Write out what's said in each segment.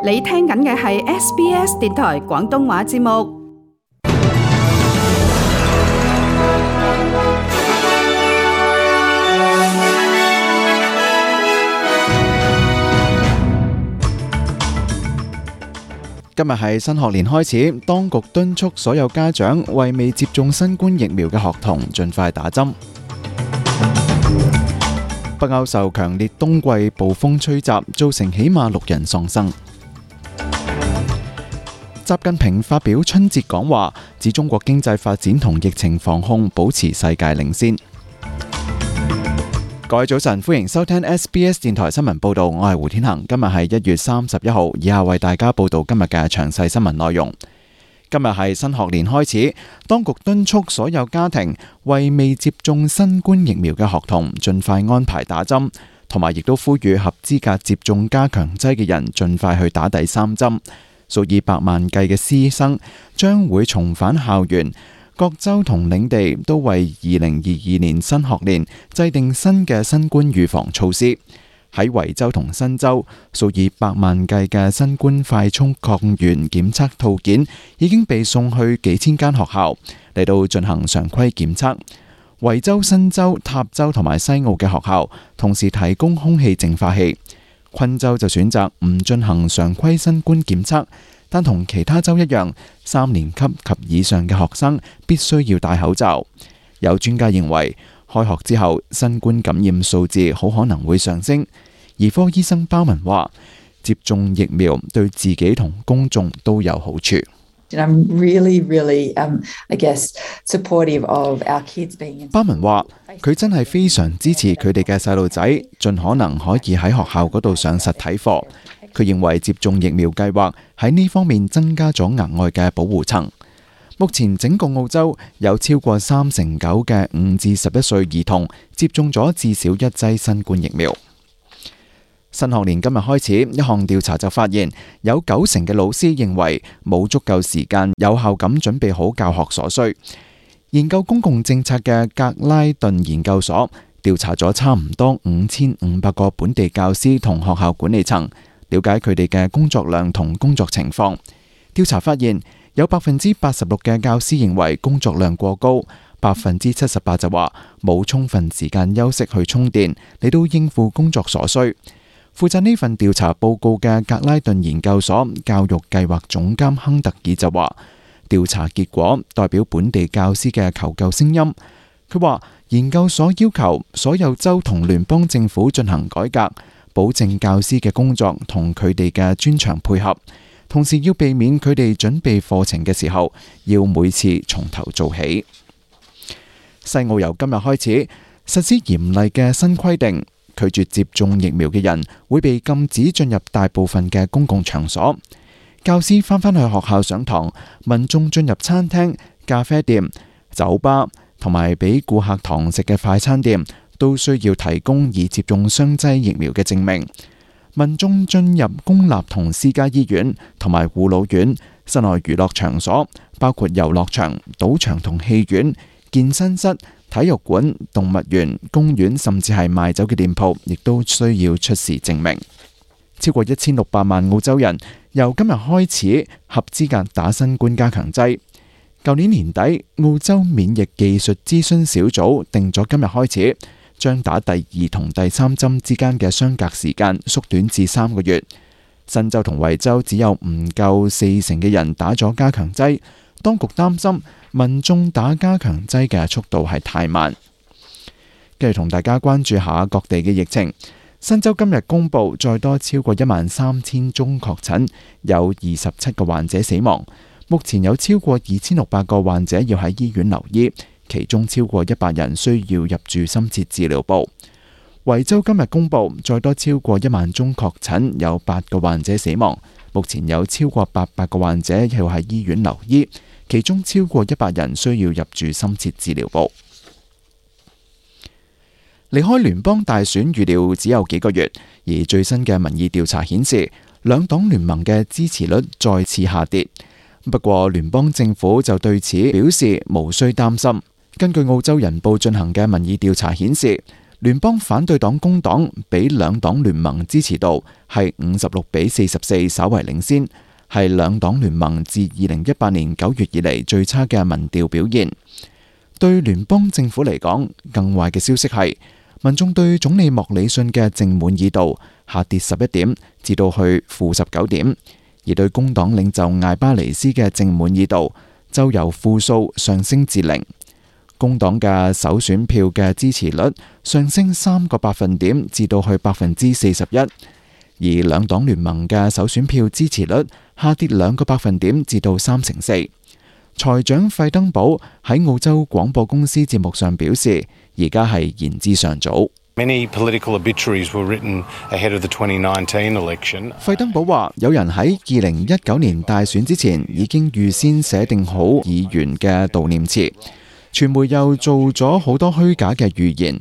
你聽緊嘅係 SBS 電台廣東話節目。今日係新學年開始，當局敦促所有家長為未接種新冠疫苗嘅學童盡快打針。北歐受強烈冬季暴風吹襲，造成起碼6人喪生。習近平發表春節講話，指中國經濟發展同疫情防控保持世界領先。各位早晨，歡迎收聽 SBS 電台新聞報道，我係胡天恒。今日係1月31號，以下為大家報道今日嘅詳細新聞內容。今日係新學年開始，當局敦促所有家庭為未接種新冠疫苗嘅學童盡快安排打針，同埋亦都呼籲合資格接種加強劑嘅人盡快去打第3針。數以百萬計嘅師生將會重返校園。各州同領地都為2022年新學年制定新嘅新冠預防措施。喺維州同新州，數以百萬計嘅新冠快速抗原檢測套件已經被送去幾千間學校嚟到進行常規檢測。維州、新州、塔州同埋西澳嘅學校同時提供空氣淨化器。昆州就選擇唔進行常規新冠檢測，但同其他州一樣，3年級及以上嘅學生必須要戴口罩。有專家認為，開學之後新冠感染數字好可能會上升。兒科醫生鮑文話，接種疫苗對自己同公眾都有好處。I'm really, I guess, supportive of our kids being in. 鮑文話，佢真係非常支持佢哋嘅細路仔，盡可能可以喺學校嗰度上實體課。佢認為接種疫苗計劃喺呢方面增加咗額外嘅保護層。目前整個澳洲有超過39%嘅5至11歲兒童接種咗至少1劑新冠疫苗。新學年今日開始，一項調查就發現有90%嘅老師認為冇足夠時間有效咁準備好教學所需。研究公共政策嘅格拉頓研究所調查咗差唔多5500個本地教師同學校管理層，了解佢哋嘅工作量同工作情況。調查發現有86%嘅教師認為工作量過高，78%就話冇充分時間休息去充電嚟到應付工作所需。負責呢份調查報告嘅格拉頓研究所教育計劃總監亨特爾就話，調查結果代表本地教師嘅求救聲音。佢話研究所要求所有州同聯邦政府進行改革，保證教師嘅工作同佢哋嘅專長配合，同時要避免佢哋準備課程嘅時候要每次從頭做起。西澳由今日開始實施嚴厲嘅新規定，拒絕接種疫苗嘅人會被禁止進入大部分嘅公共場所。教師返去學校上堂，民眾進入餐廳、咖啡店、酒吧同埋俾顧客堂食嘅快餐店都需要提供已接種雙劑疫苗嘅證明。民眾進入公立同私家醫院同埋護老院、室內娛樂場所，包括遊樂場、賭場同戲院、健身室、體育館、動物園、公園，甚至係賣酒嘅店鋪，亦都需要出示證明。超過1600萬澳洲人由今日開始合資格打新冠加強劑。舊年年底，澳洲免疫技術諮詢小組定咗今日開始，將打第2同第3針之間嘅相隔時間縮短至3個月。新州同維州只有唔夠40%嘅人打咗加強劑，當局擔心民眾打加強劑嘅速度係太慢。繼續同大家關注下各地嘅疫情。新州今日公布再多超過13000宗確診，有27個患者死亡。目前有超過2600個患者要喺醫院留醫，其中超過100人需要入住深切治療部。維州今日公布再多超過1萬宗確診，有8個患者死亡。目前有超過800個患者要喺醫院留醫，其中超過100人需要入住深切治療部。離開聯邦大選預料只有幾個月，而最新嘅民意調查顯示，兩黨聯盟嘅支持率再次下跌。不過聯邦政府就對此表示無需擔心。根據澳洲人報進行嘅民意調查顯示，聯邦反對黨工黨比兩黨聯盟支持度係56-44，稍為領先，係兩黨聯盟自2018年9月以嚟最差嘅民調表現。對聯邦政府嚟講，更壞嘅消息係民眾對總理莫里遜嘅正滿意度下跌11點，至到去-19點，而對工黨領袖艾巴尼斯嘅正滿意度就由負數上升至0。工黨嘅首選票嘅支持率上升3個百分點至到去41%，而兩黨聯盟嘅首選票支持率下跌2個百分點至到3成4。財長費登堡喺澳洲廣播公司節目上表示，而家係言之尚早。Many political obituaries were written ahead of the 2019 election. 費登堡話，有人喺2019年大選之前已經預先寫定好議員嘅悼念詞。傳媒又做咗好多虛假嘅預言，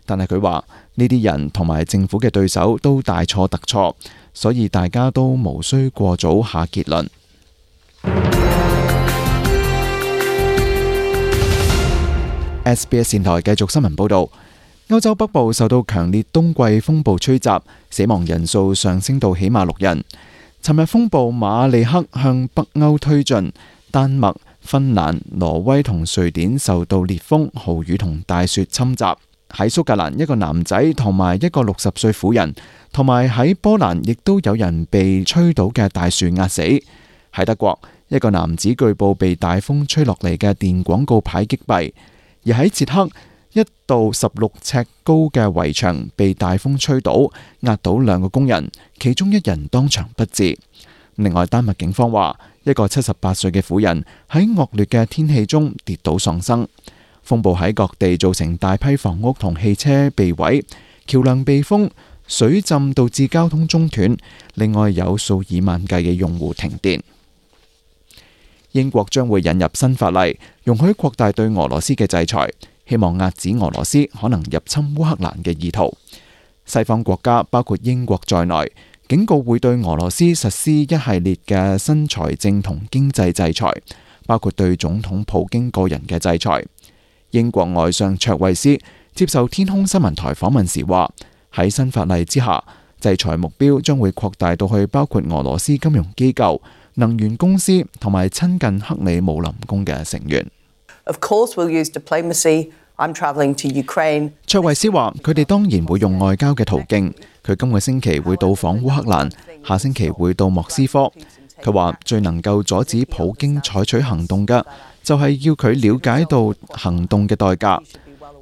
但係佢話呢啲人同埋政府嘅對手都大錯特錯，所以大家都無需過早下結論。SBS 電台繼續新聞報導，歐洲北部受到強烈冬季風暴吹襲，死亡人數上升到起碼6人。尋日風暴馬利克向北歐推進，丹麥、芬蘭、挪威同瑞典受到烈風、豪雨同大雪侵襲。喺蘇格蘭，一個男仔同埋一個60歲婦人，同埋喺波蘭亦都有人被吹倒嘅大樹壓死。喺德國，一個男子據報被大風吹落嚟嘅電廣告牌擊斃。而喺捷克，一道16尺高嘅圍牆被大風吹倒，壓倒2個工人，其中1人當場不治。另外，丹麥警方話，一個78歲嘅婦人喺惡劣嘅天氣中跌倒喪生。風暴喺各地造成大批房屋同汽車被毀，橋樑被封，水浸導致交通中斷，另外有數以萬計嘅用戶停電。英國將會引入新法例，容許擴大對俄羅斯嘅制裁，希望遏止俄羅斯可能入侵烏克蘭嘅意圖。西方國家包括英國在內，警告會對俄羅斯實施一系列嘅新財政同經濟制裁，包括對總統普京個人嘅制裁。英國外相卓慧思接受天空新聞台訪問時話，喺新法例之下，制裁目標將會擴大到去包括俄羅斯金融機構、能源公司同埋親近克里姆林宮嘅成員。Of course, we'll use diplomacy. I'm traveling to Ukraine. 卓慧思話：佢哋當然會用外交嘅途徑。佢今個星期會到訪烏克蘭，下星期會到莫斯科。佢話最能夠阻止普京採取行動嘅，就係要佢了解到行動嘅代價。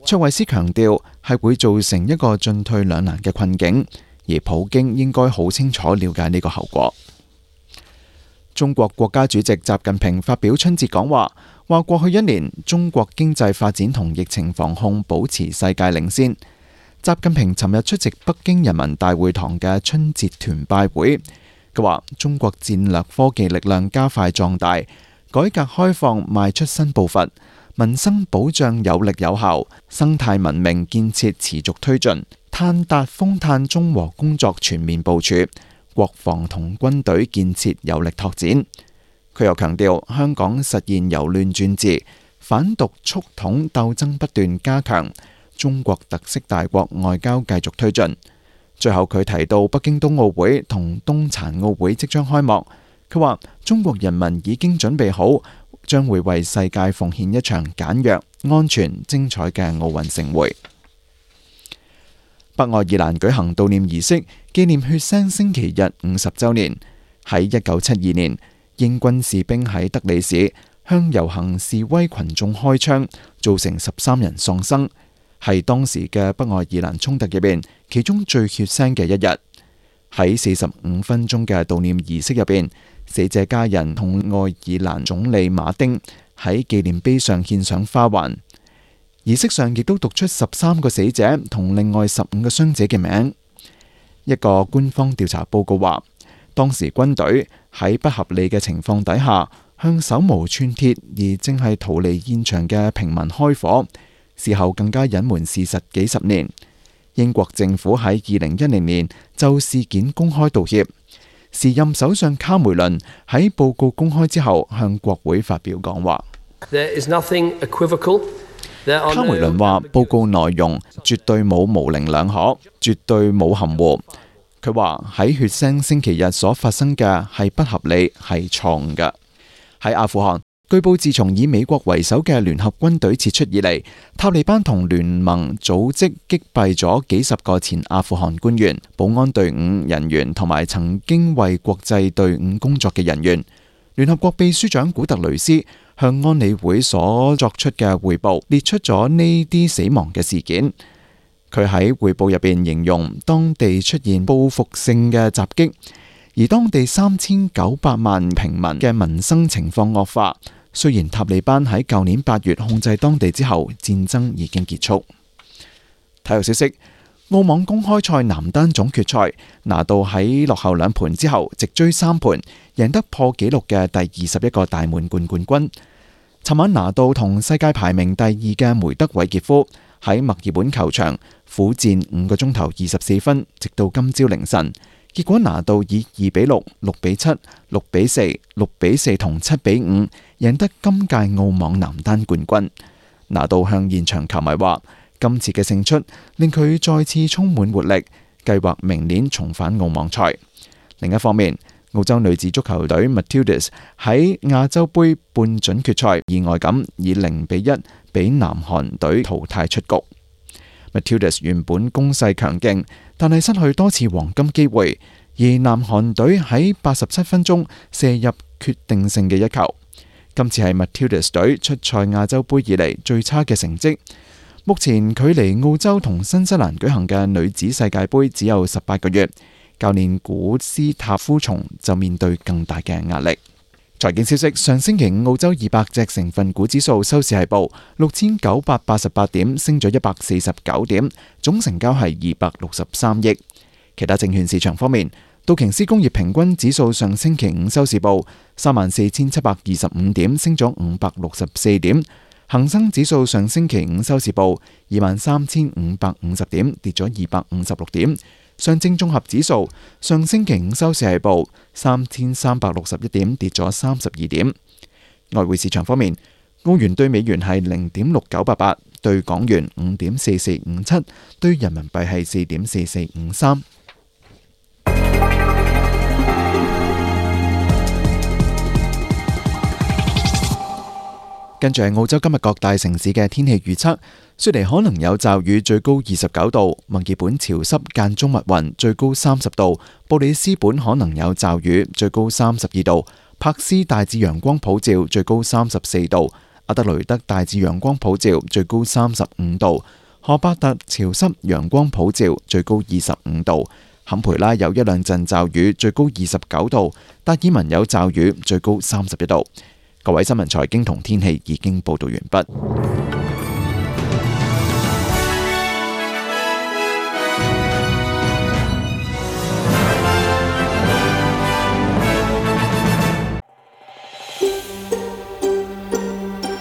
卓慧思強調係會造成一個進退兩難嘅困境，而普京應該好清楚了解呢個後果。中國國家主席習近平發表春節講話，話過去1年中國經濟發展同疫情防控保持世界領先。習近平尋日出席北京人民大會堂嘅春節團拜會，佢話中國戰略科技力量加快壯大，改革開放邁出新步伐，民生保障有力有效，生態文明建設持續推進，碳達峰碳中和工作全面部署，國防同軍隊建設有力拓展。佢又強調香港實現由亂轉治，反獨促統鬥爭不斷加強，中國特色大國外交繼續推進。最後佢提到北京冬奧會同冬殘奧會即將開幕，佢話中國人民已經準備好，將會為世界奉獻一場簡約、安全、精彩嘅奧運盛會。北愛爾蘭舉行悼念儀式，紀念血腥星期日50週年。喺1972年，英軍士兵喺德里市向遊行示威群眾開槍，造成13人喪生，係當時嘅北愛爾蘭衝突入邊其中最血腥嘅一日。喺45分鐘嘅悼念儀式入邊，死者家人同愛爾蘭總理馬丁喺紀念碑上獻上花環。儀式上亦都讀出13個死者同另外15個傷者嘅名。一個官方調查報告話，當時軍隊喺不合理嘅情況底下，向手無寸鐵而正係逃離現場嘅平民開火，事後更加隱瞞事實幾十年。英國政府喺2010年就事件公開道歉。時任首相卡梅倫喺報告公開之後向國會發表講話。There is nothing equivocal 卡梅倫話：報告內容絕對冇模棱兩可，絕對冇含糊。佢話喺血腥星期日所發生嘅係不合理，係錯誤嘅。喺阿富汗，據報自從以美國為首嘅聯合軍隊撤出以嚟，塔利班同聯盟組織擊斃咗幾十個前阿富汗官員、保安隊伍人員同埋曾經為國際隊伍工作嘅人員。聯合國秘書長古特雷斯向安理會所作出嘅匯報列出咗呢啲死亡嘅事件。佢喺匯報入邊形容當地出現報復性嘅襲擊，而當地3900萬平民嘅民生情況惡化。雖然塔利班喺舊年8月控制當地之後，戰爭已經結束。體育消息：澳網公開賽男單總決賽，拿度喺落後2盤之後，直追3盤，贏得破紀錄嘅第21個大滿貫冠軍。尋晚拿度同世界排名第2嘅梅德韋傑夫喺墨爾本球場苦戰5個鐘頭24分，直到今朝凌晨。結果拿度以2比6、6比7、6比4、6比4同7比5贏得今屆澳網男單冠軍。拿度向現場球迷話：今次嘅勝出令佢再次充滿活力，計劃明年重返澳網賽。另一方面，澳洲女子足球隊 Matildas 喺亞洲盃半準決賽意外咁以0比1俾南韓隊淘汰出局。Matildas 原本攻勢強勁，但係失去多次黃金機會，而南韓隊喺87分鐘射入決定性嘅一球。今次係 Matildas 隊出賽亞洲盃以嚟最差嘅成績。目前距離澳洲同新西蘭舉行嘅女子世界盃只有18個月，教練古斯塔夫松就面對更大嘅壓力。財經消息：上星期五澳洲200隻成分股指數收市係報6988點，升咗149點，總成交係263億。其他證券市場方面，道瓊斯工業平均指數上星期五收市報34725點，升咗564點。恒生指數上星期五收市報23550點，跌咗256點。上證綜合指數上星期五收市係報3361點，跌咗32點。外匯市場方面，澳元對美元係0.6988，對港元5.4457，對人民幣係4.4453。跟住係澳洲今日各大城市嘅天氣預測：雪梨可能有驟雨，最高29度；墨爾本潮濕間中密雲，最高30度；布里斯本可能有驟雨，最高32度；柏斯大致陽光普照，最高34度；阿德雷德大致陽光普照，最高35度；荷伯特潮濕陽光普照，最高25度；坎培拉有一兩陣驟雨，最高29度；達爾文有驟雨，最高31度。各位新聞財經同天氣已經報道完畢。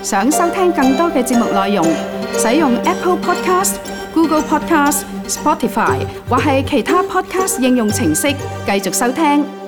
想收聽更多嘅節目內容，使用 Apple Podcast、Google Podcast、Spotify 或係其他 Podcast 應用程式繼續收聽。